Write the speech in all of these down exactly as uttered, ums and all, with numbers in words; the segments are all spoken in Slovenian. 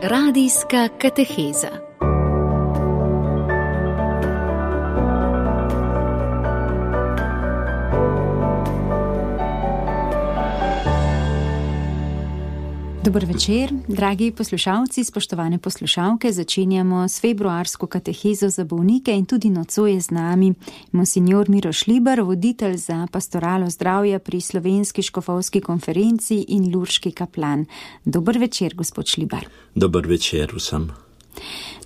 Radijska kateheza. Dober večer, dragi poslušalci, spoštovane poslušalke. Začenjamo s februarsko katehezo za bolnike in tudi nocoj je z nami monsignor Miroš Libar, voditelj za pastoralo zdravja pri Slovenski škofovski konferenci in lurški kaplan. Dober večer, gospod Šlibar. Dober večer vsem.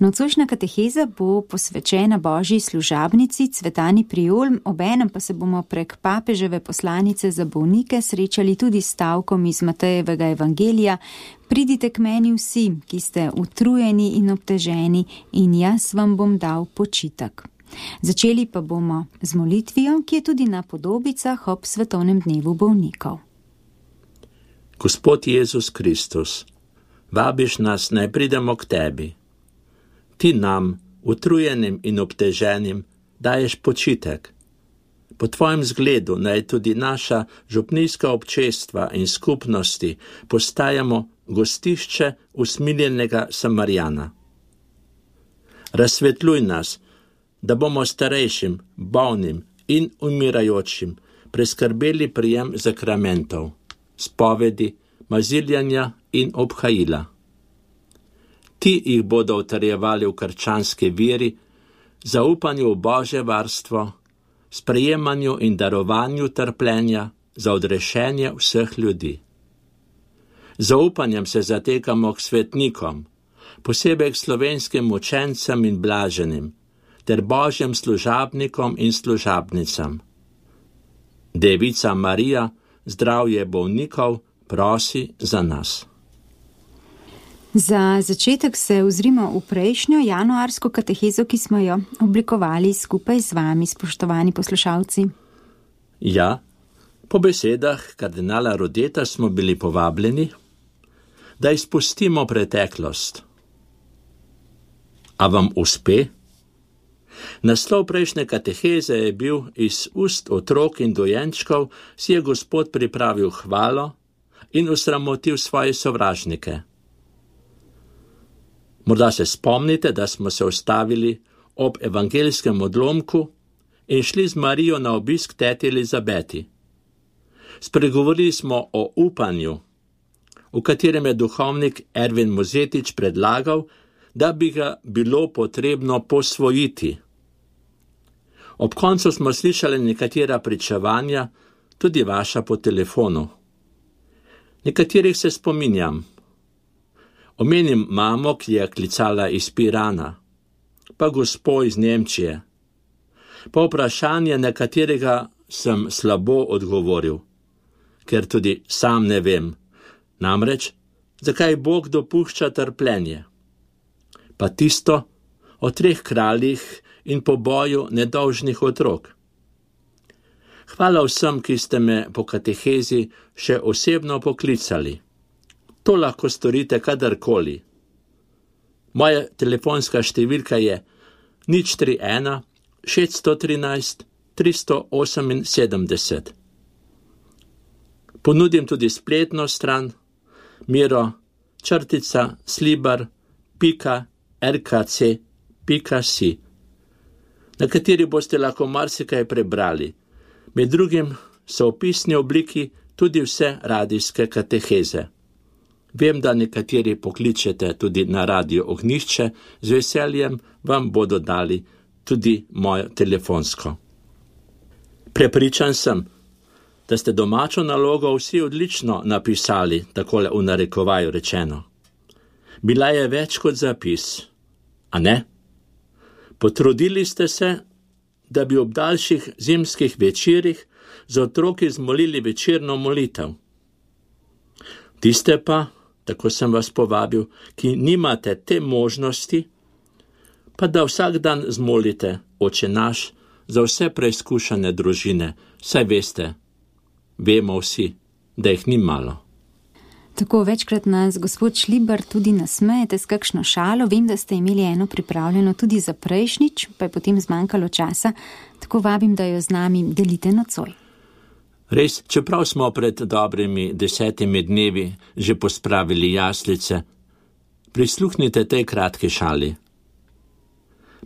Nocojšnja kateheza bo posvečena Božji služabnici Cvetani Prijol, obenem pa se bomo prek papeževe poslanice za bolnike srečali tudi s stavkom iz Matejevega evangelija: Pridite k meni vsi, ki ste utrujeni in obteženi, in jaz vam bom dal počitek. Začeli pa bomo z molitvijo, ki je tudi na podobicah ob svetovnem dnevu bolnikov. Gospod Jezus Kristus, vabiš nas, naj pridemo k tebi. Ti nam, utrujenim in obteženim, daješ počitek. Po tvojem zgledu naj tudi naša župnijska občestva in skupnosti postajamo gostišče usmiljenega Samarijana. Razsvetljuj nas, da bomo starejšim, bolnim in umirajočim preskrbeli prijem zakramentov, spovedi, maziljanja in obhajila. Ti jih bodo utrjevali v krščanski veri, zaupanju v Božje varstvo, sprejemanju in darovanju trpljenja za odrešenje vseh ljudi. Zaupanjem se zatekamo k svetnikom, posebej k slovenskim učencem in blaženim, ter Božjem služabnikom in služabnicam. Devica Marija, zdravje bolnikov, prosi za nas. Za začetek se ozrimo v prejšnjo januarsko katehezo, ki smo jo oblikovali skupaj z vami, spoštovani poslušalci. Ja, po besedah kardinala Rodeta smo bili povabljeni, da izpustimo preteklost. A vam uspe? Naslov prejšnje kateheze je bil: Iz ust otrok in dojenčkov si je Gospod pripravil hvalo in osramotil svoje sovražnike. Morda se spomnite, da smo se ustavili ob evangelskem odlomku in šli z Marijo na obisk teti Elizabeti. Spregovorili smo o upanju, v katerem je duhovnik Ervin Mozetič predlagal, da bi ga bilo potrebno posvojiti. Ob koncu smo slišali nekatera pričevanja, tudi vaša po telefonu. Nekaterih se spominjam. Omenim mamo, ki je klicala iz Pirana, pa gospo iz Nemčije. Pa vprašanje, na katerega sem slabo odgovoril, ker tudi sam ne vem. Namreč, zakaj Bog dopušča trpljenje? Pa tisto o treh kraljih in poboju nedolžnih otrok. Hvala vsem, ki ste me po katehezi še osebno poklicali. To lahko storite kadarkoli. Moja telefonska številka je nič tri ena šeststo trinajst tristo oseminsedemdeset. Ponudim tudi spletno stran miro črtica slibar pika rkc pika si, na kateri boste lahko marsikaj prebrali. Med drugim so v pisni obliki tudi vse radijske kateheze. Vem, da nekateri pokličete tudi na radio Ognjišče, z veseljem vam bodo dali tudi mojo telefonsko. Prepričan sem, da ste domačo nalogo vsi odlično napisali, takole v narekovaju rečeno. Bila je več kot zapis, a ne? Potrudili ste se, da bi ob daljših zimskih večerih z otroki zmolili večerno molitev. Tiste pa, tako sem vas povabil, ki nimate te možnosti, pa da vsak dan zmolite Oče naš za vse preizkušene družine, saj veste, vemo vsi, da jih ni malo. Tako večkrat nas, gospod Šlibar, tudi nasmejete s kakšno šalo. Vem, da ste imeli eno pripravljeno tudi za prejšnjič, pa je potem zmanjkalo časa, tako vabim, da jo z nami delite nocoj. Res, čeprav smo pred dobrimi desetimi dnevi že pospravili jaslice, Prisluhnite tej kratki šali.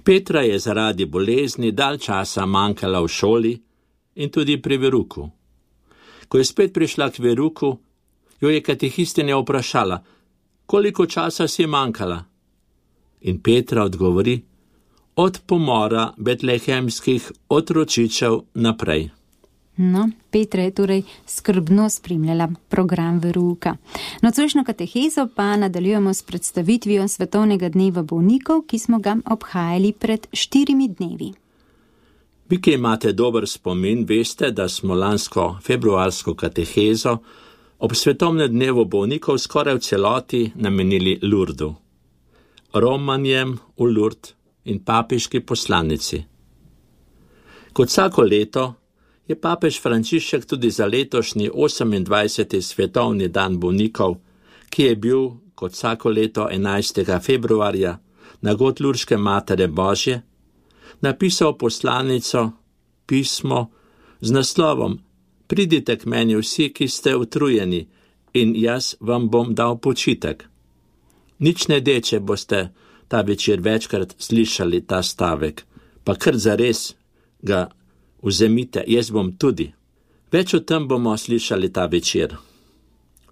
Petra je zaradi bolezni dalj časa manjkala v šoli in tudi pri veruku. Ko je spet prišla k veruku, jo je katehistinja vprašala, koliko časa si manjkala? In Petra odgovori, od pomora betlehemskih otročičev naprej. No, Petra je torej skrbno spremljala program veruka. Nocojšnjo katehezo pa nadaljujemo s predstavitvijo Svetovnega dneva bolnikov, ki smo ga obhajali pred štirimi dnevi. Vi, ki imate dober spomin, veste, da smo lansko februarsko katehezo ob Svetovnem dnevu bolnikov skoraj v celoti namenili Lurdu, romanjem v Lurd in papežki poslanici. Kot vsako leto je papež Frančišek tudi za letošnji osemindvajseti svetovni dan bolnikov, ki je bil kot vsako leto enajstega februarja na god Lurške Matere Božje, napisal poslanico, pismo z naslovom Pridite k meni vsi, ki ste utrujeni, in jaz vam bom dal počitek. Nič ne de, če boste ta večer večkrat slišali ta stavek, pa kar zares ga vzemite, jaz bom tudi. Več o tem bomo slišali ta večer.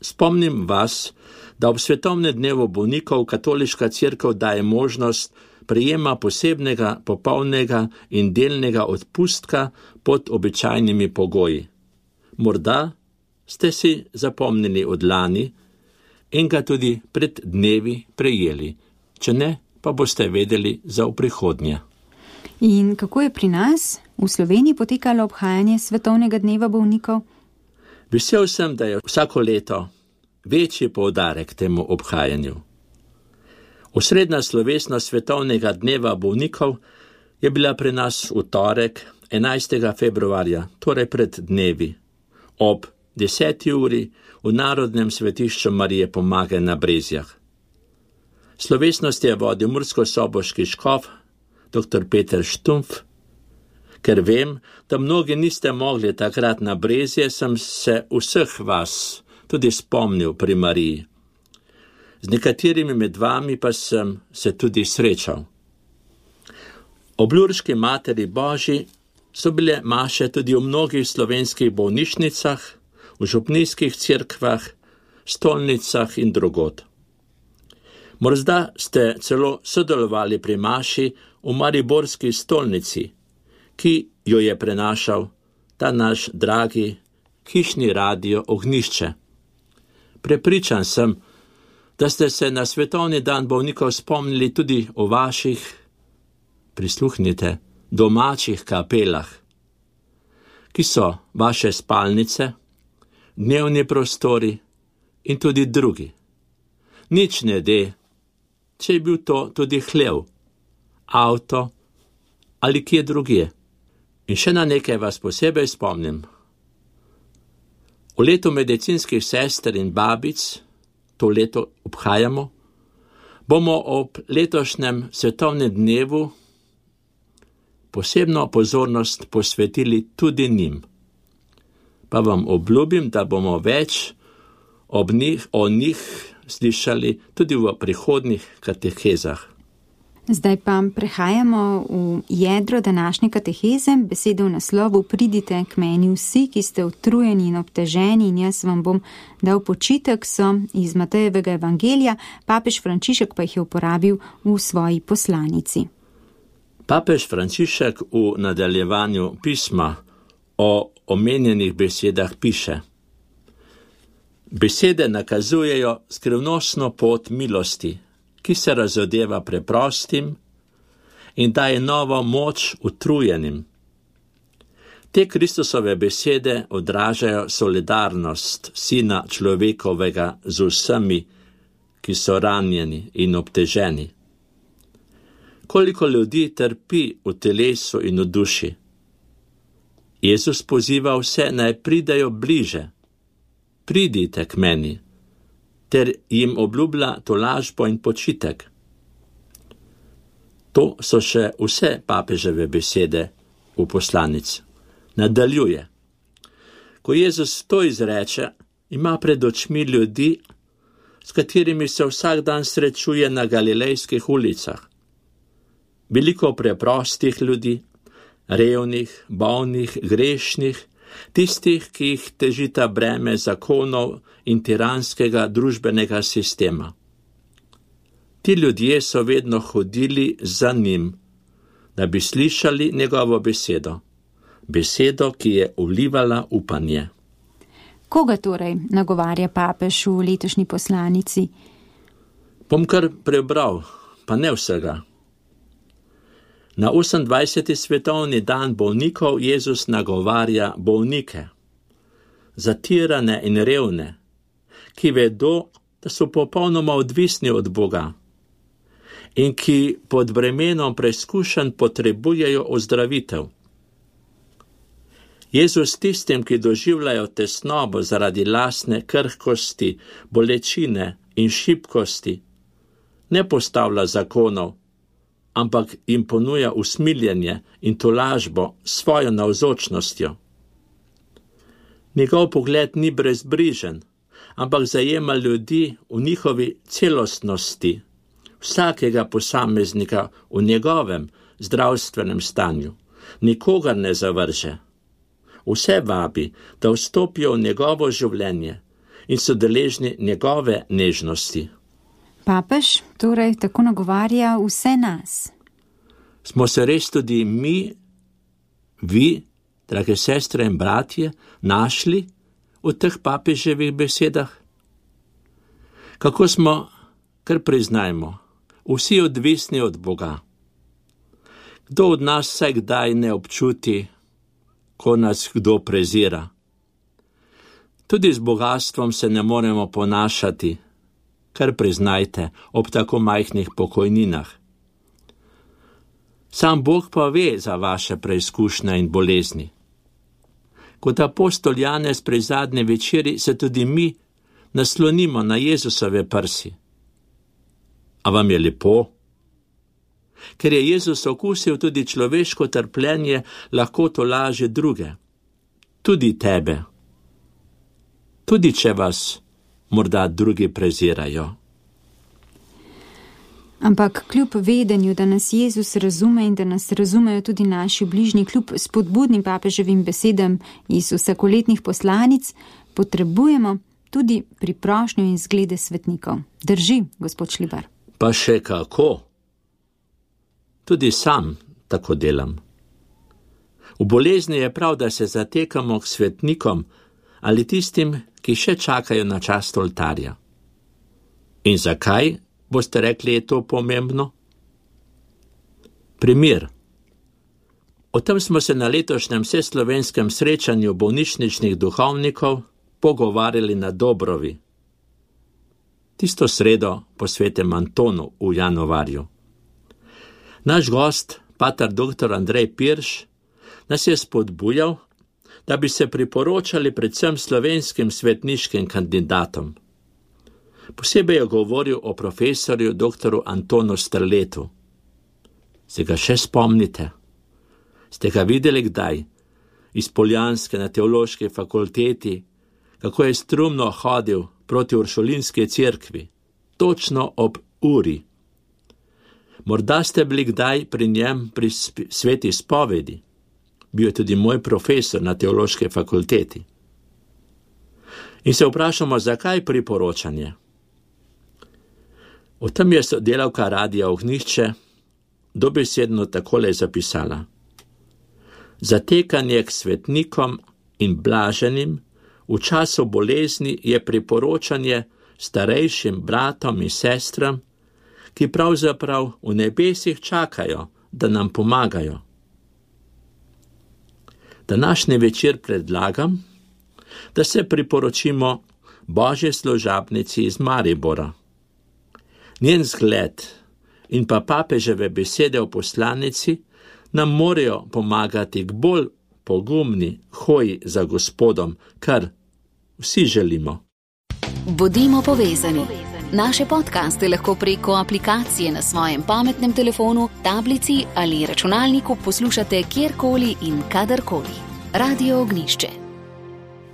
Spomnim vas, da ob Svetovnem dnevu bolnikov katoliška cerkev daje možnost prejema posebnega, popolnega in delnega odpustka pod običajnimi pogoji. Morda ste si zapomnili od lani in ga tudi pred dnevi prejeli, če ne, pa boste vedeli za v prihodnje. In kako je pri nas v Sloveniji potekalo obhajanje Svetovnega dneva bolnikov? Vesel sem, da je vsako leto večji poudarek temu obhajanju. Osrednja slovesnost Svetovnega dneva bolnikov je bila pri nas v torek, enajstega februarja, torej pred dnevi, ob deseti uri v Narodnem svetišču Marije Pomage na Brezjah. Slovesnost je vodil murskosoboški škof, doktor Peter Štumpf. Ker vem, da mnogi niste mogli takrat na Brezje, sem se vseh vas tudi spomnil pri Mariji. Z nekaterimi med vami pa sem se tudi srečal. Ob Lurški Materi Božji so bile maše tudi v mnogih slovenskih bolnišnicah, v župnijskih cerkvah, stolnicah in drugod. Morda ste celo sodelovali pri maši v mariborski stolnici, ki jo je prenašal ta naš dragi hišni radio Ognjišče. Prepričan sem, da ste se na Svetovni dan bolnikov spomnili tudi o vaših, prisluhnite, domačih kapelah, ki so vaše spalnice, dnevni prostori in tudi drugi. Nič ne de, če je bil to tudi hlev, avto ali kje drugje. In še na nekaj vas posebej spomnim. V letu medicinskih sester in babic, to leto obhajamo, bomo ob letošnjem svetovnem dnevu posebno pozornost posvetili tudi njim. Pa vam obljubim, da bomo več ob njih, o njih slišali tudi v prihodnjih katehezah. Zdaj pa prehajamo v jedro današnje kateheze, besede v naslovu Pridite k meni vsi, ki ste utrujeni in obteženi, in jaz vam bom dal počitek, so iz Matejevega evangelija, papež Frančišek pa jih je uporabil v svoji poslanici. Papež Frančišek v nadaljevanju pisma o omenjenih besedah piše: Besede nakazujejo skrivnostno pot milosti, ki se razodeva preprostim in daje novo moč utrujenim. Te Kristusove besede odražajo solidarnost Sina človekovega z vsemi, ki so ranjeni in obteženi. Koliko ljudi trpi v telesu in v duši. Jezus poziva vse, naj pridejo bliže. Pridite k meni, ter jim obljublja tolažbo in počitek. To so še vse papeževe besede v poslanici. Nadaljuje. Ko Jezus to izreče, ima pred očmi ljudi s katerimi se vsak dan srečuje na galilejskih ulicah. Veliko preprostih ljudi, revnih, bolnih, grešnih, tistih, ki jih težita breme zakonov in tiranskega družbenega sistema. Ti ljudje so vedno hodili za njim, da bi slišali njegovo besedo, besedo, ki je vlivala upanje. Koga torej nagovarja papež v letošnji poslanici? Bom kar prebral, pa ne vsega. Na osemindvajseti svetovni dan bolnikov Jezus nagovarja bolnike, zatirane in revne, ki vedo, da so popolnoma odvisni od Boga in ki pod bremenom preizkušenj potrebujejo ozdravitev. Jezus tistim, ki doživljajo tesnobo zaradi lastne krhkosti, bolečine in šibkosti, ne postavlja zakonov, ampak jim ponuja usmiljenje in tolažbo svojo navzočnostjo. Njegov pogled ni brezbrižen, ampak zajema ljudi v njihovi celostnosti, vsakega posameznika v njegovem zdravstvenem stanju. Nikogar ne zavrže. Vse vabi, da vstopijo v njegovo življenje in so deležni njegove nežnosti. Papež torej tako nagovarja vse nas. Smo se res tudi mi, vi, drage sestre in bratje, našli v teh papeževih besedah? Kako smo, kar priznajmo, vsi odvisni od Boga? Kdo od nas vsaj kdaj ne občuti, ko nas kdo prezira? Tudi z bogatstvom se ne moremo ponašati, kar priznajte, ob tako majhnih pokojninah. Sam Bog pa ve za vaše preizkušnje in bolezni. Kot apostol Janez pri zadnji večeri se tudi mi naslonimo na Jezusove prsi. A vam je lepo? Ker je Jezus okusil tudi človeško trpljenje, lahko tolaži druge, tudi tebe. Tudi če vas morda drugi prezirajo. Ampak kljub vedenju, da nas Jezus razume in da nas razumejo tudi naši bližnji, kljub spodbudnim papeževim besedam iz vsakoletnih poslanic, potrebujemo tudi priprošnjo in zglede svetnikov. Drži, gospod Šlibar? Pa še kako? Tudi sam tako delam. V bolezni je prav, da se zatekamo k svetnikom ali tistim, ki še čakajo na čast oltarja. In zakaj, boste rekli, je to pomembno? Primer. O tem smo se na letošnjem vseslovenskem srečanju bolnišničnih duhovnikov pogovarjali na Dobrovi. Tisto sredo po svetem Antonu v januarju. Naš gost, pater doktor Andrej Pirš, nas je spodbujal, da bi se priporočali predvsem slovenskim svetniškim kandidatom. Posebej je govoril o profesorju doktoru Antonu Strletu. Se ga še spomnite? Ste ga videli kdaj? Iz Poljanske na teološki fakulteti, kako je strumno hodil proti Uršulinski cerkvi, točno ob uri. Morda ste bili kdaj pri njem pri sveti spovedi. Bil je tudi moj profesor na teološki fakulteti. In se vprašamo, zakaj priporočanje? O tem je sodelavka Radia Ognjišče dobesedno takole zapisala. Zatekanje k svetnikom in blaženim v času bolezni je priporočanje starejšim bratom in sestram, ki pravzaprav v nebesih čakajo, da nam pomagajo. Današnji večer predlagam, da se priporočimo Božji služabnici iz Maribora. Njen zgled in pa papeževe besede v poslanici nam morajo pomagati k bolj pogumni hoji za Gospodom, kar vsi želimo. Bodimo povezani. Naše podcaste lahko preko aplikacije na svojem pametnem telefonu, tablici ali računalniku poslušate kjerkoli in kadarkoli. Radio Ognjišče.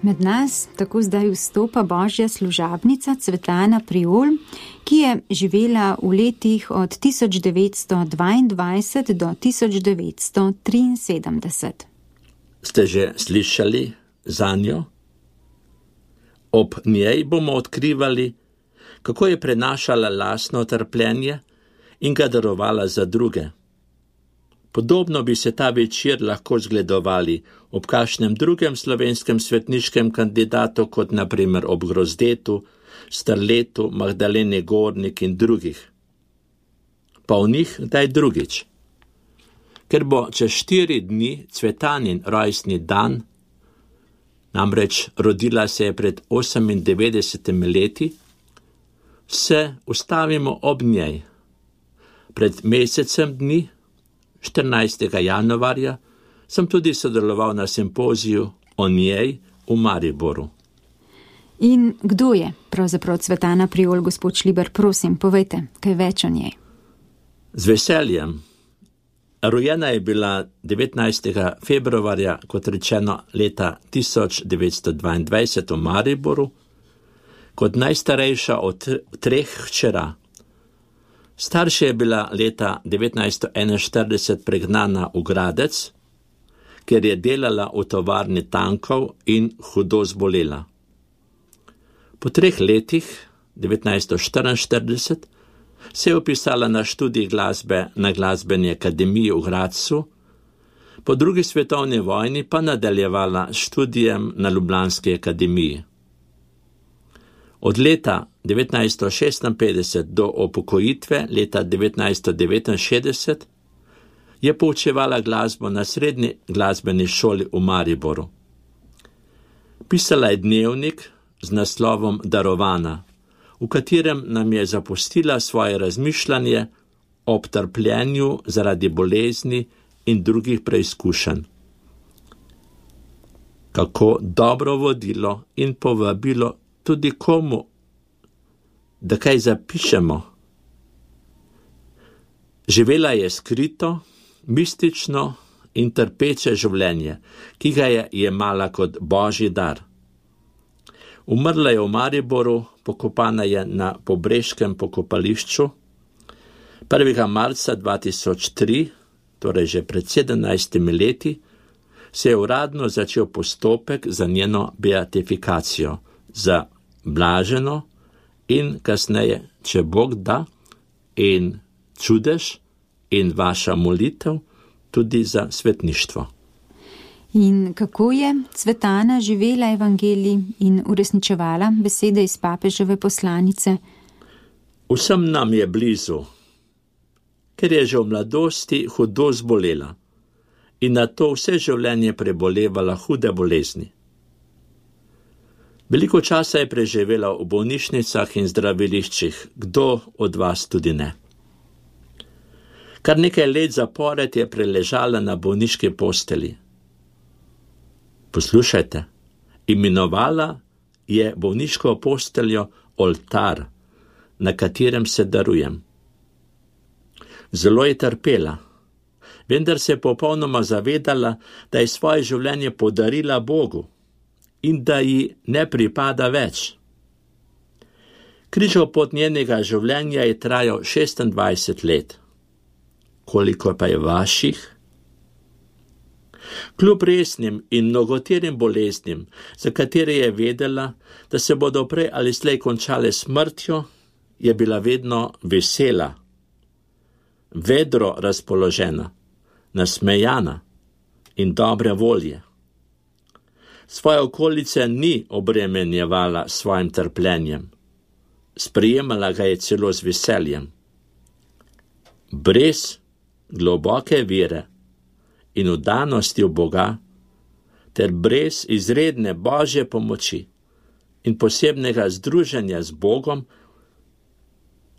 Med nas tako zdaj vstopa božja služabnica Cvetana Priol, ki je živela v letih od tisoč devetsto dvaindvajset do tisoč devetsto triinsedemdeset. Ste že slišali za njo? Ob njej bomo odkrivali, kako je prenašala lastno trpljenje in ga darovala za druge. Podobno bi se ta večer lahko zgledovali ob kakšnem drugem slovenskem svetniškem kandidatu, kot na primer ob Grozdetu, Starletu, Magdaleni Gornik in drugih. Pa o njih daj drugič. Ker bo čez štiri dni Cvetanin rojstni dan, namreč rodila se je pred osemindevetdesetimi leti, se ustavimo ob njej. Pred mesecem dni, štirinajstega januarja, sem tudi sodeloval na simpoziju o njej v Mariboru. In kdo je pravzaprav Cvetana Priol, gospod Šliber? Prosim, povejte kaj več o njej. Z veseljem. Rojena je bila devetnajstega februarja, kot rečeno, leta tisoč devetsto dvaindvajset v Mariboru, kot najstarejša od treh hčera. Starša je bila leta devetnajststo enainštirideset pregnana v Gradec, ker je delala v tovarni tankov in hudo zbolela. Po treh letih, devetnajststo štiriinštirideset, se je upisala na študij glasbe na Glasbeni akademiji v Gradcu, po drugi svetovni vojni pa nadaljevala študijem na Ljubljanski akademiji. Od leta devetnajststo šestinpetdeset do upokojitve leta devetnajststo devetinšestdeset je poučevala glasbo na Srednji glasbeni šoli v Mariboru. Pisala je dnevnik z naslovom Darovana, v katerem nam je zapustila svoje razmišljanje ob trpljenju zaradi bolezni in drugih preizkušenj. Kako dobro vodilo in povabilo tudi komu, da kaj zapišemo. Živela je skrito, mistično in trpeče življenje, ki ga je jemala kot božji dar. Umrla je v Mariboru, pokopana je na Pobreškem pokopališču. prvega marca dva tisoč tri, torej že pred sedemnajstimi leti, se je uradno začel postopek za njeno beatifikacijo, za blaženo in kasneje, če Bog da, in čudež in vaša molitev tudi za svetništvo. In kako je Cvetana živela evangelij in uresničevala besede iz papeževe poslanice? Vsem nam je blizu, ker je že v mladosti hudo zbolela in na to vse življenje prebolevala hude bolezni. Veliko časa je preživela v bolnišnicah in zdraviliščih, kdo od vas tudi ne. Kar nekaj let zapored je preležala na bolniški posteli. Poslušajte, imenovala je bolniško posteljo oltar, na katerem se darujem. Zelo je trpela, vendar se je popolnoma zavedala, da je svoje življenje podarila Bogu in da ji ne pripada več. Križov pot njenega življenja je trajal šestindvajset let. Koliko pa je vaših? Kljub resnim in mnogoterim boleznim, za katere je vedela, da se bodo prej ali slej končale smrtjo, je bila vedno vesela, vedro razpoložena, nasmejana in dobre volje. Svoje okolice ni obremenjevala s svojim trpljenjem, sprejemala ga je celo z veseljem. Brez globoke vere in vdanosti v Boga, ter brez izredne božje pomoči in posebnega združenja z Bogom,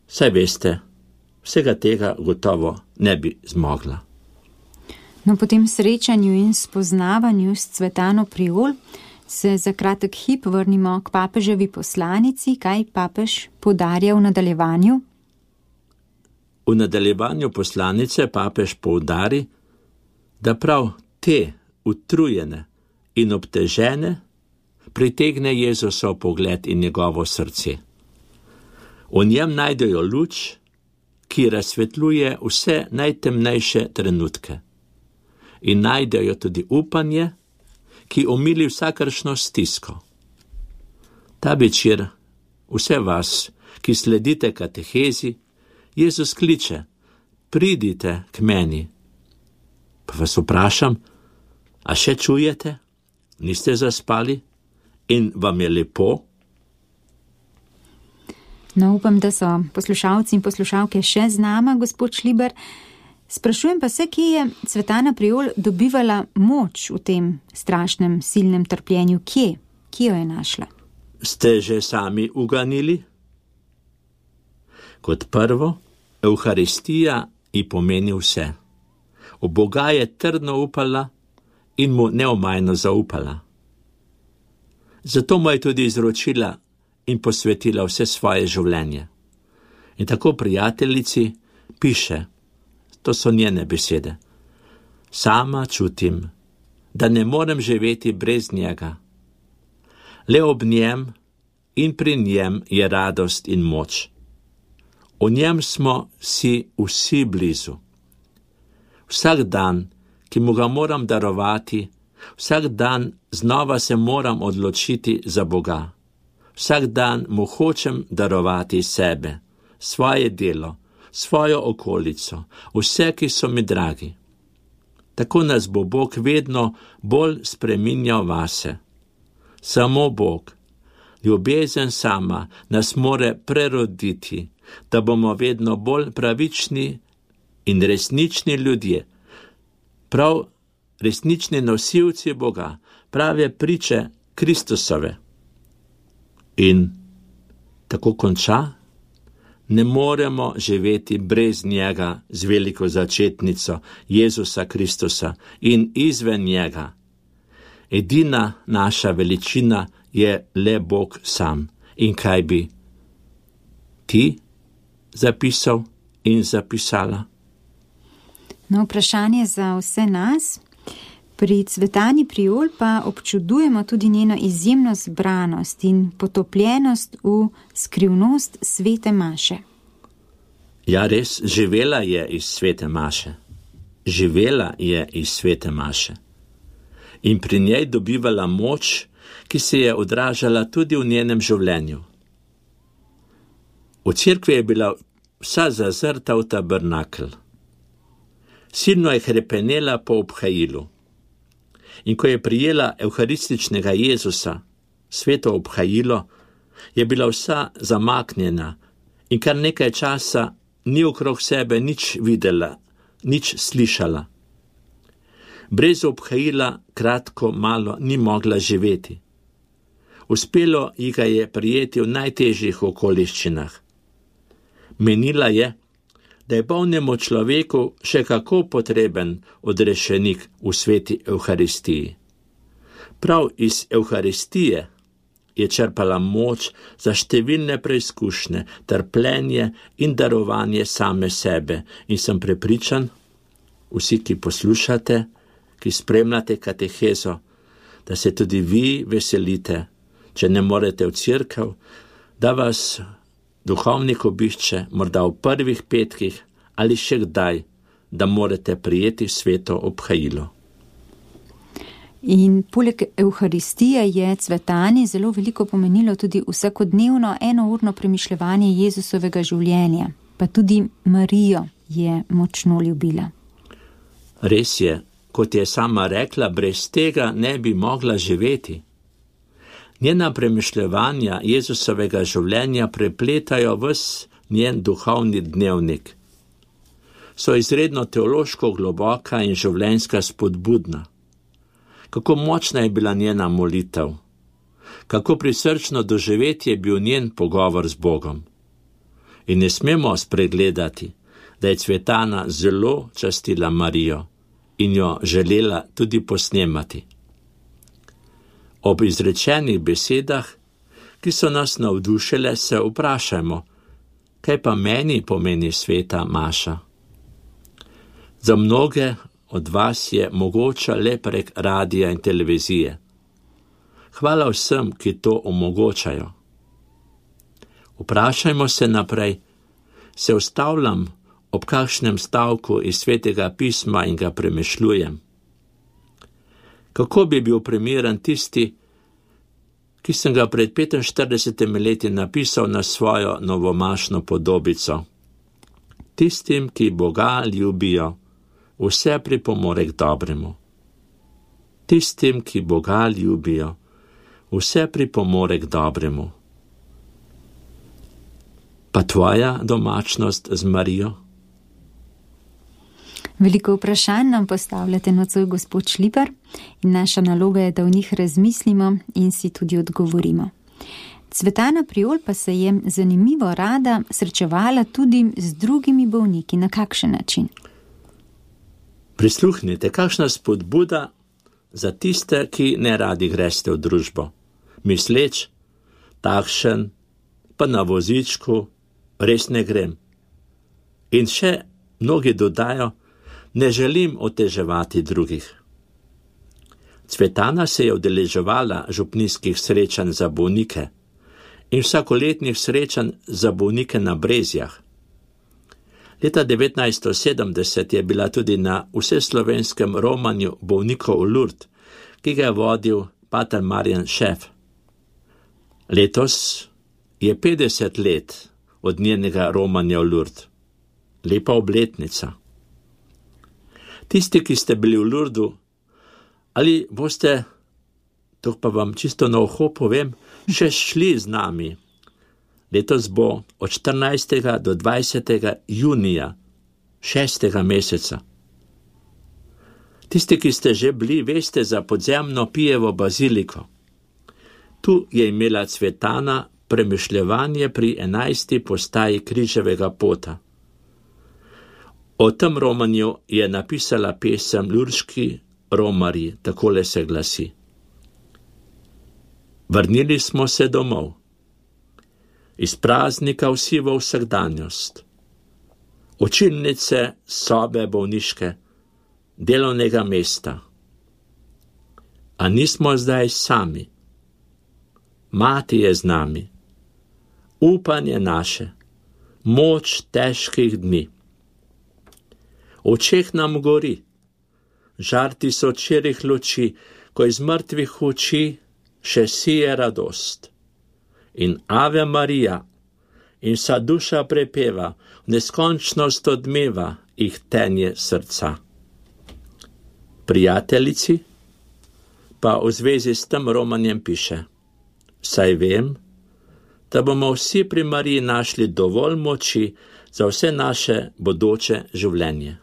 saj veste, vsega tega gotovo ne bi zmogla. No, po tem srečanju in spoznavanju s Cvetano Priol se za kratek hip vrnimo k papeževi poslanici, kaj papež poudarja v nadaljevanju. V nadaljevanju poslanice papež poudari, da prav te utrujene in obtežene, pritegne Jezusov pogled in njegovo srce. V njem najdejo luč, ki razsvetljuje vse najtemnejše trenutke. In najdejo tudi upanje, ki omili vsakršno stisko. Ta večer vse vas, ki sledite katehezi, Jezus kliče, pridite k meni. Pa vas vprašam, a še čujete? Niste zaspali? In vam je lepo? No, upam, da so poslušalci in poslušalke še z nama, gospod Šliber. Sprašujem pa se, kje je Cvetana Prijol dobivala moč v tem strašnem, silnem trpljenju. Kje? Kje jo je našla? Ste že sami uganili? Kot prvo, Evharistija ji pomeni vse. V Boga je trdno upala in mu neomajno zaupala. Zato mu je tudi izročila in posvetila vse svoje življenje. In tako prijateljici piše, to so njene besede, sama čutim, da ne morem živeti brez njega. Le ob njem in pri njem je radost in moč. O njem smo si vsi blizu. Vsak dan, ki mu ga moram darovati, vsak dan znova se moram odločiti za Boga. Vsak dan mu hočem darovati sebe, svoje delo, svojo okolico, vse, ki so mi dragi. Tako nas bo Bog vedno bolj spreminjal vase. Samo Bog, ljubezen sama, nas more preroditi, da bomo vedno bolj pravični in resnični ljudje, prav resnični nosilci Boga, prave priče Kristusove. In tako konča, ne moremo živeti brez njega z veliko začetnico Jezusa Kristusa in izven njega. Edina naša veličina je le Bog sam. In kaj bi ti zapisal in zapisala? No, vprašanje za vse nas. Pri Cvetani Prijol pa občudujemo tudi njeno izjemno zbranost in potopljenost v skrivnost svete maše. Ja, res, živela je iz svete maše. Živela je iz svete maše. In pri njej dobivala moč, ki se je odražala tudi v njenem življenju. V cerkvi je bila vsa zazrta v tabernakel. Silno je hrepenela po obhajilu. In ko je prijela evharističnega Jezusa, sveto obhajilo, je bila vsa zamaknjena in kar nekaj časa ni okrog sebe nič videla, nič slišala. Brez obhajila kratko malo ni mogla živeti. Uspelo ji ga je prijeti v najtežjih okoliščinah. Menila je, da je bolnemu človeku še kako potreben odrešenik v sveti Evharistiji. Prav iz Evharistije je črpala moč za številne preizkušnje, trpljenje in darovanje same sebe. In sem prepričan, vsi, ki poslušate, ki spremljate katehezo, da se tudi vi veselite, če ne morete v cerkev, da vas duhovnik obišče, morda v prvih petkih ali še kdaj, da morate prijeti sveto obhajilo. In poleg Evharistije je Cvetani zelo veliko pomenilo tudi vsakodnevno enourno premišljevanje Jezusovega življenja, pa tudi Marijo je močno ljubila. Res je, kot je sama rekla, brez tega ne bi mogla živeti. Njena premišljevanja Jezusovega življenja prepletajo ves njen duhovni dnevnik. So izredno teološko globoka in življenjska spodbudna. Kako močna je bila njena molitev, kako prisrčno doživetje je bil njen pogovor z Bogom. In ne smemo spregledati, da je Cvetana zelo častila Marijo in jo želela tudi posnemati. Ob izrečenih besedah, ki so nas navdušile, se vprašajmo, kaj pa meni pomeni sveta maša. Za mnoge od vas je mogoča le prek radija in televizije. Hvala vsem, ki to omogočajo. Vprašajmo se naprej, se ustavljam ob kakšnem stavku iz Svetega pisma in ga premišljujem. Kako bi bil primeren tisti, ki sem ga pred petinštiridesetimi leti napisal na svojo novomašno podobico? Tistim, ki Boga ljubijo, vse pripomore k dobremu. Tistim, ki Boga ljubijo, vse pripomore k dobremu. Pa tvoja domačnost z Marijo? Veliko vprašanj nam postavljate nocoj, gospod Šlipar, in naša naloga je, da v njih razmislimo in si tudi odgovorimo. Cvetana Priol pa se je zanimivo rada srečevala tudi z drugimi bolniki. Na kakšen način? Prisluhnite, kakšna spodbuda za tiste, ki ne radi greste v družbo. Misleč, takšen, pa na vozičku, res ne grem. In še mnogi dodajo, ne želim oteževati drugih. Cvetana se je udeleževala župnijskih srečanj za bolnike in vsakoletnih srečanj za bolnike na Brezjah. Leta devetnajststo sedemdeset je bila tudi na vseslovenskem romanju bolnikov v Lourdes, ki ga je vodil pater Marjan Šef. Letos je petdeset let od njenega romanja v Lourdes. Lepa obletnica. Tisti, ki ste bili v Lourdesu, ali boste, to pa vam čisto na uho povem, še šli z nami. Letos bo od štirinajstega do dvajsetega junija, šestega meseca. Tisti, ki ste že bili, veste za podzemno Pijevo baziliko. Tu je imela Cvetana premišljevanje pri enajsti postaji križevega pota. O tem romanju je napisala pesem Lurški romarji, takole se glasi. Vrnili smo se domov, iz praznika vsi v vsakdanjost, učilnice, sobe bolniške, delovnega mesta. A nismo zdaj sami. Mati je z nami, upanje naše, moč težkih dni. V očeh nam gori, žar tisočerih luči, ko iz mrtvih oči še sije radost. In Ave Marija, in vsa duša prepeva, v neskončnost odmeva jih tenje srca. Prijateljici pa v zvezi s tem romanjem piše: saj vem, da bomo vsi pri Mariji našli dovolj moči za vse naše bodoče življenje.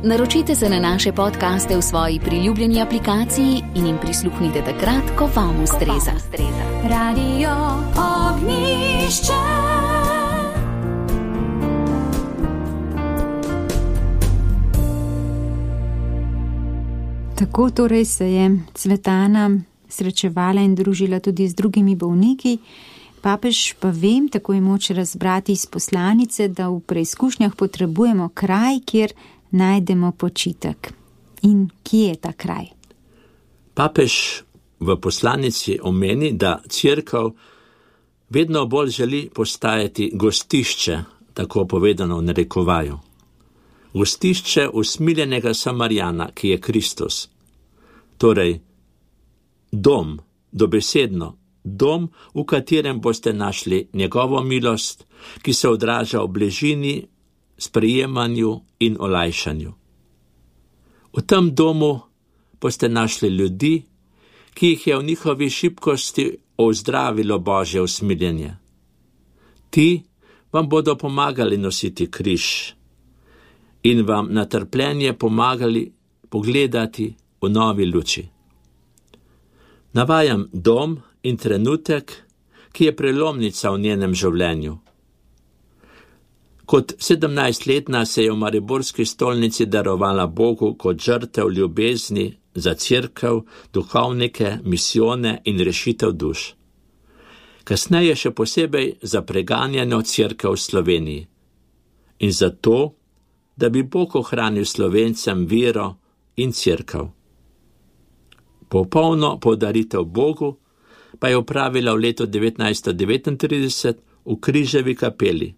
Naročite se na naše podcaste v svoji priljubljeni aplikaciji in jim prisluhnite takrat, ko vam ustreza. Radio Ognjišče. Tako torej se je Cvetana srečevala in družila tudi z drugimi bolniki. Papež pa vem, tako je moč razbrati iz poslanice, da v preizkušnjah potrebujemo kraj, kjer najdemo počitek. In kje je ta kraj? Papež v poslanici omeni, da cerkev vedno bolj želi postajati gostišče, tako povedano v narekovaju. Gostišče usmiljenega Samarijana, ki je Kristus. Torej, dom, dobesedno, dom, v katerem boste našli njegovo milost, ki se odraža v bližini, sprejemanju in olajšanju. V tem domu boste našli ljudi, ki jih je v njihovi šibkosti ozdravilo Božje usmiljenje. Ti vam bodo pomagali nositi križ in vam na trpljenje pomagali pogledati v novi luči. Navajam dom in trenutek, ki je prelomnica v njenem življenju. Kot sedemnajstletna se je v mariborski stolnici darovala Bogu kot žrtev ljubezni za cerkev, duhovnike, misijone in rešitev duš. Kasneje še posebej za preganjeno cerkev v Sloveniji. In zato, da bi Bog ohranil Slovencem vero in cerkev. Popolno podaritev Bogu pa je opravila v letu devetnajststo devetintrideset v Križevi kapeli.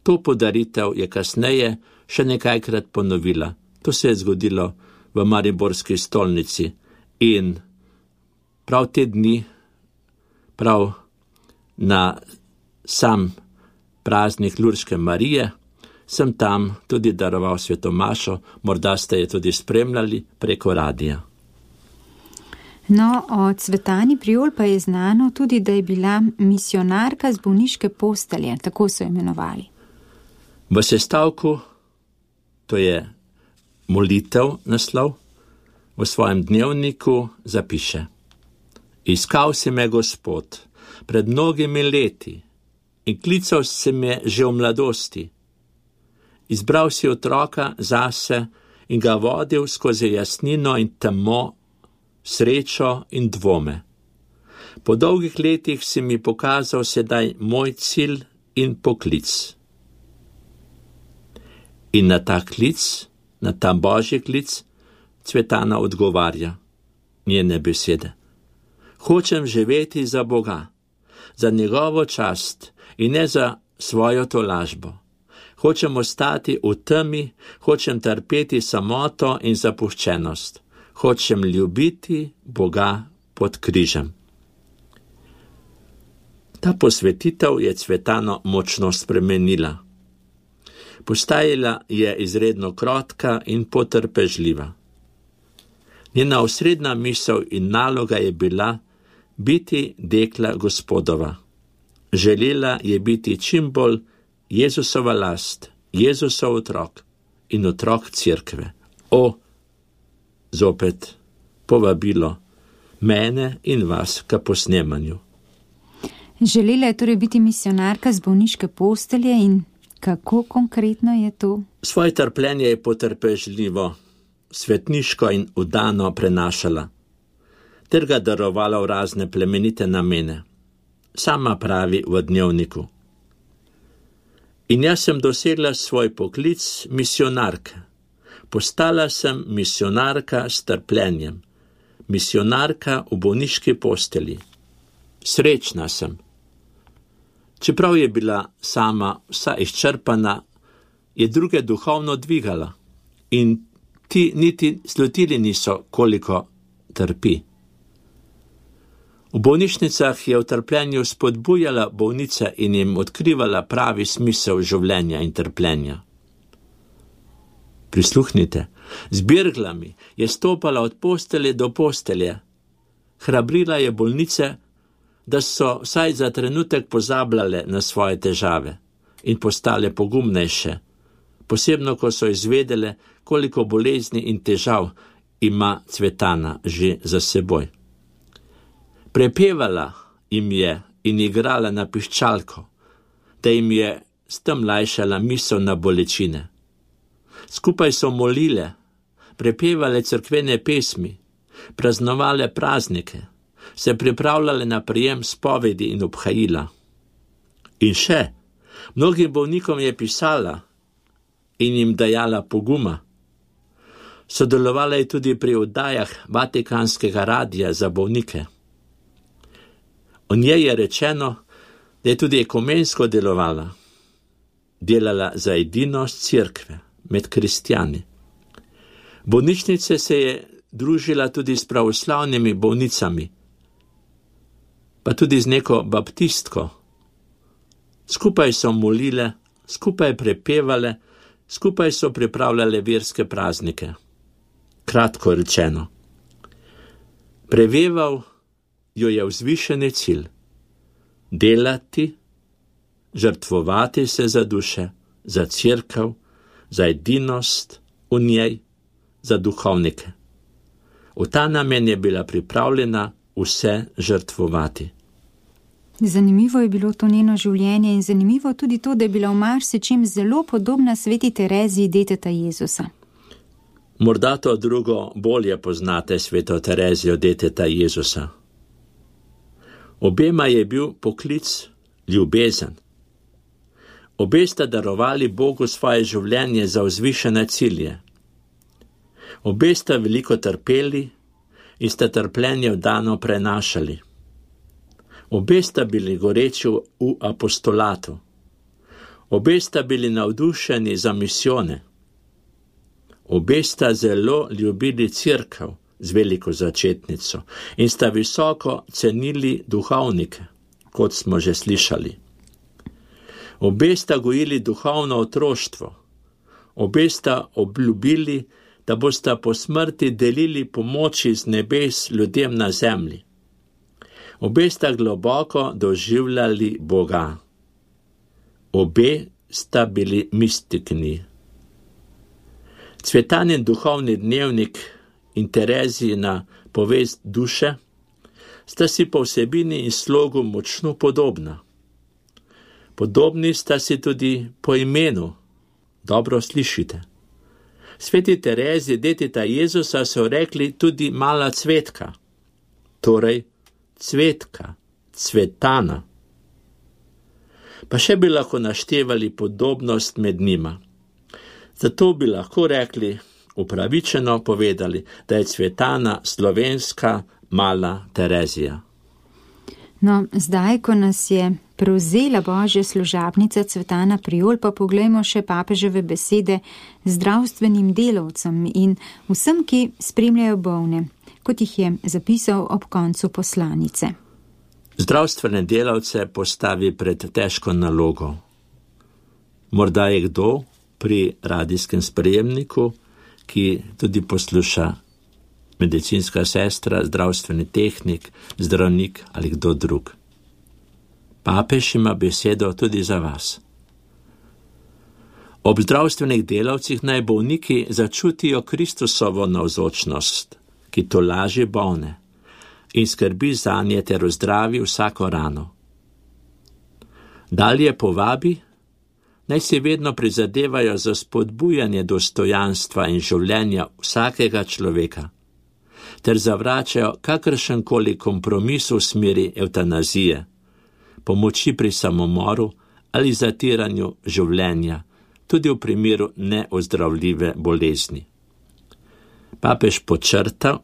To podaritev je kasneje še nekajkrat ponovila. To se je zgodilo v mariborski stolnici in prav te dni, prav na sam praznik Lurške Marije, sem tam tudi daroval sveto mašo, morda ste je tudi spremljali preko radija. No, o Cvetani Prijol pa je znano tudi, da je bila misionarka z bolniške postelje, tako so imenovali. V sestavku, to je molitev naslov, v svojem dnevniku zapiše: Iskal si me Gospod pred mnogimi leti in klical si me že v mladosti. Izbral si otroka zase in ga vodil skozi jasnino in temo, srečo in dvome. Po dolgih letih si mi pokazal sedaj moj cilj in poklic. In na ta klic, na ta božji klic, Cvetana odgovarja njene besede. Hočem živeti za Boga, za njegovo čast in ne za svojo tolažbo. Hočem ostati v temi, hočem trpeti samoto in zapuščenost. Hočem ljubiti Boga pod križem. Ta posvetitev je Cvetano močno spremenila. Postajala je izredno krotka in potrpežljiva. Njena osrednja misel in naloga je bila biti dekla Gospodova. Želela je biti čim bolj Jezusova last, Jezusov otrok in otrok cerkve. O, zopet povabilo mene in vas k posnemanju. Želela je torej biti misionarka z bolniške postelje in kako konkretno je to? Svoje trpljenje je potrpežljivo, svetniško in vdano prenašala, ter ga darovala v razne plemenite namene. Sama pravi v dnevniku: In jaz sem dosegla svoj poklic misionarke. Postala sem misionarka s trpljenjem, misionarka v bolniški postelji. Srečna sem. Čeprav je bila sama vsa izčrpana, je druge duhovno dvigala in ti niti slutili niso, koliko trpi. V bolnišnicah je v trpljenju spodbujala bolnice in jim odkrivala pravi smisel življenja in trpljenja. Prisluhnite, z birglami je stopala od postelje do postelje. Hrabrila je bolnice, da so vsaj za trenutek pozabljale na svoje težave in postale pogumnejše, posebno ko so izvedele, koliko bolezni in težav ima Cvetana že za seboj. Prepevala jim je in igrala na piščalko, da jim je s tem lajšala misel na bolečine. Skupaj so molile, prepevale cerkvene pesmi, praznovale praznike, se pripravljale na prijem spovedi in obhajila. In še, mnogim bolnikom je pisala in jim dajala poguma. Sodelovala je tudi pri oddajah Vatikanskega radija za bolnike. O njej je rečeno, da je tudi ekumensko delovala, delala za edinost cerkve med kristjani. Bolnišnice se je družila tudi s pravoslavnimi bolnicami, pa tudi z neko baptistko. Skupaj so molile, skupaj prepevale, skupaj so pripravljale verske praznike. Kratko rečeno, preveval jo je vzvišeni cilj: delati, žrtvovati se za duše, za cerkev, za edinost v njej, za duhovnike. V ta namen je bila pripravljena vse žrtvovati. Zanimivo je bilo to njeno življenje in zanimivo tudi to, da je bila v marsičem zelo podobna sveti Tereziji, deteta Jezusa. Morda to drugo bolje poznate, sveto Terezijo, deteta Jezusa. Obema je bil poklic ljubezen. Obe sta darovali Bogu svoje življenje za vzvišene cilje. Obe sta veliko trpeli, in sta trpljenje vdano prenašali. Obe sta bili goreči v apostolatu. Obe sta bili navdušeni za misijone. Obe sta zelo ljubili cerkev z veliko začetnico in sta visoko cenili duhovnike, kot smo že slišali. Obe sta gojili duhovno otroštvo. Obe sta obljubili, da bosta po smrti delili pomoči z nebes ljudem na zemlji. Obe sta globoko doživljali Boga. Obe sta bili mistikni. Cvetanin duhovni dnevnik in Terezijina povest duše sta si po vsebini in slogu močno podobna. Podobni sta si tudi po imenu. Dobro slišite. Sveti Tereziji, deteta Jezusa, so rekli tudi mala cvetka, torej cvetka, cvetana. Pa še bi lahko naštevali podobnost med njima. Zato bi lahko rekli, upravičeno povedali, da je cvetana slovenska mala Terezija. No, zdaj, ko nas je prevzela Božja služabnica Cvetana Prijol, pa poglejmo še papeževe besede zdravstvenim delavcem in vsem, ki spremljajo bolne, kot jih je zapisal ob koncu poslanice. Zdravstvene delavce postavi pred težko nalogo. Morda je kdo pri radijskem sprejemniku, ki tudi posluša medicinska sestra, zdravstveni tehnik, zdravnik ali kdo drug. Papež ima besedo tudi za vas. Ob zdravstvenih delavcih naj bolniki začutijo Kristusovo navzočnost, ki tolaži bolne in skrbi zanje ter ozdravi vsako rano. Dalje povabi, naj si vedno prizadevajo za spodbujanje dostojanstva in življenja vsakega človeka, ter zavračajo kakršenkoli kompromis v smeri evtanazije, pomoči pri samomoru ali zatiranju življenja, tudi v primeru neozdravljive bolezni. Papež podčrta,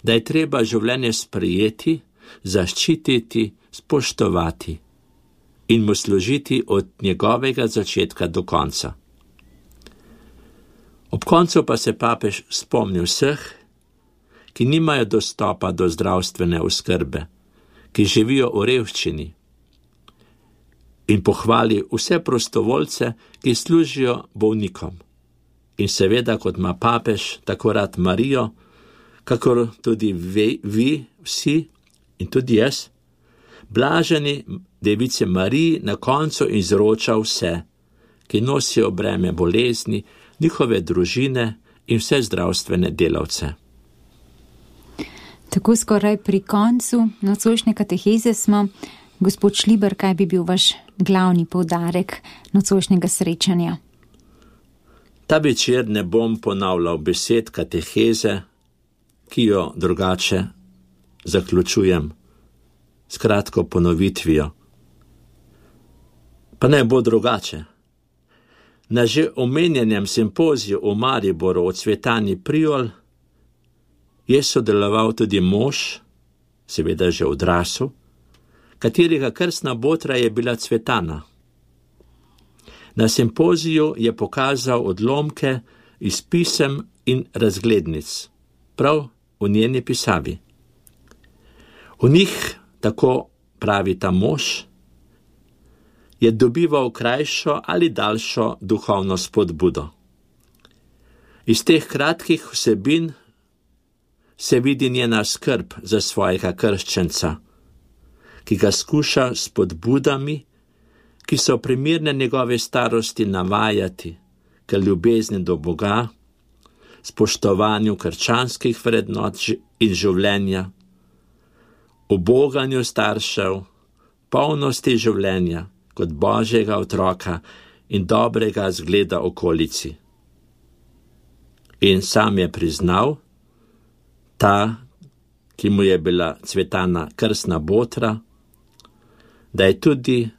da je treba življenje sprejeti, zaščititi, spoštovati in mu služiti od njegovega začetka do konca. Ob koncu pa se papež spomni vseh, ki nimajo dostopa do zdravstvene oskrbe, ki živijo v revščini, in pohvali vse prostovoljce, ki služijo bolnikom. In seveda, kot ima papež tako rad Marijo, kakor tudi vi, vi vsi in tudi jaz, blaženi device Mariji na koncu izroča vse, ki nosijo breme bolezni, njihove družine in vse zdravstvene delavce. Tako skoraj pri koncu nocojšnje kateheze smo. Gospod Šliber, kaj bi bil vaš glavni poudarek nocojšnjega srečanja? Ta večer ne bom ponavljal besed kateheze, ki jo drugače zaključujem s kratko ponovitvijo. Pa ne bo drugače. Na že omenjenem simpoziju v Mariboru o Cvetani Prijol je sodeloval tudi mož, seveda že odrasel, katerega krstna botra je bila Cvetana. Na simpoziju je pokazal odlomke iz pisem in razglednic, prav v njeni pisavi. V njih, tako pravi ta mož, je dobival krajšo ali daljšo duhovno spodbudo. Iz teh kratkih vsebin se vidi njena skrb za svojega krščenca, ki ga skuša s spodbudami, ki so primerne njegove starosti, navajati k ljubezni do Boga, spoštovanju krščanskih vrednot in življenja, uboganju staršev, polnosti življenja kot Božjega otroka in dobrega zgleda okolici. In sam je priznal, ta, ki mu je bila Cvetana krstna botra, da je tudi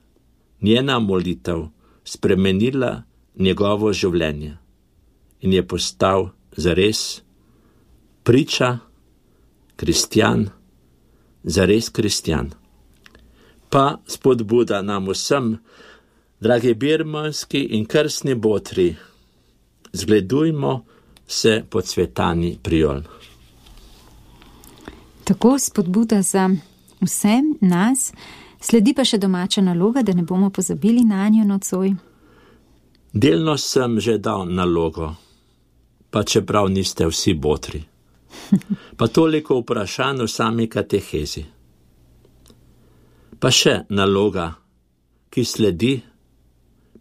njena molitev spremenila njegovo življenje in je postal zares priča kristjan, zares kristjan. Pa spodbuda nam vsem, dragi birmanski in krstni botri, zgledujmo se pod Cvetani Prijol. Tako spodbuda za vse nas, sledi pa še domača naloga, da ne bomo pozabili na njo nocoj. Delno sem že dal nalogo, pa čeprav niste vsi botri. Pa toliko vprašanj v sami katehezi. Pa še naloga, ki sledi,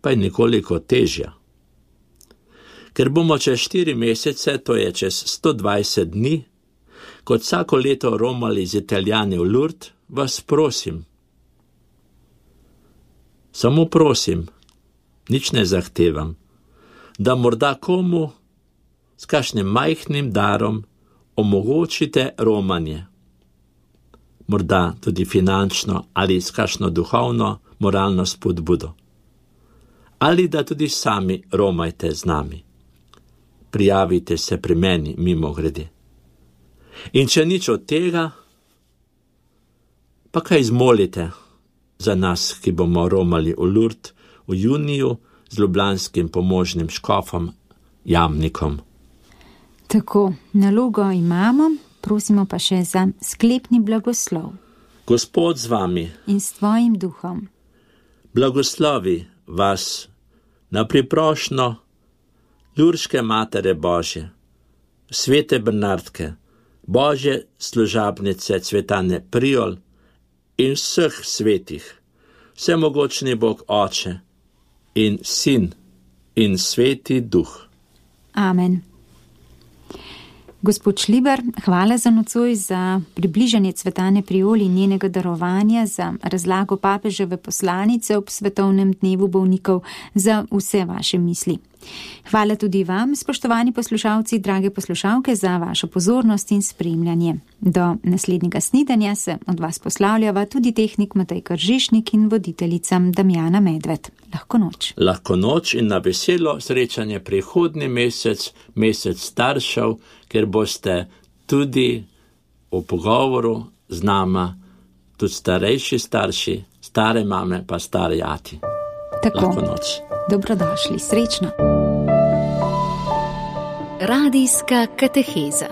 pa je nekoliko težja. Ker bomo čez štiri mesece, to je čez sto dvajset dni, kot vsako leto romali z Italijani v Lourdes, vas prosim. Samo prosim, nič ne zahtevam, da morda komu s kakšnim majhnim darom omogočite romanje. Morda tudi finančno ali s kakšno duhovno, moralno spodbudo. Ali da tudi sami romajte z nami. Prijavite se pri meni mimo grede. In če nič od tega, pa kaj zmolite za nas, ki bomo romali v Lourdes v juniju z ljubljanskim pomožnim škofom Jamnikom. Tako, nalogo imamo, prosimo pa še za sklepni blagoslov. Gospod z vami in s tvojim duhom. Blagoslovi vas na priprošnjo Lurške Matere Božje, svete Bernardke, Božje služabnice Cvetane Prijol in vseh svetih, vsemogočni Bog Oče in Sin in Sveti Duh. Amen. Gospod Šlibar, hvala za nocoj, za približanje Cvetane Prijol in njenega darovanja, za razlago papeževe poslanice ob svetovnem dnevu bolnikov, za vse vaše misli. Hvala tudi vam, spoštovani poslušalci, drage poslušalke, za vašo pozornost in spremljanje. Do naslednjega snidanja se od vas poslavljava tudi tehnik Matej Kržišnik in voditeljica Damjana Medved. Lahko noč. Lahko noč in na veselo srečanje prihodnji mesec, mesec staršev, ker boste tudi v pogovoru z nama, tudi starejši starši, stare mame pa stare ati. Tako. Lahko noč. Dobrodošli, srečno. Radijska kateheza.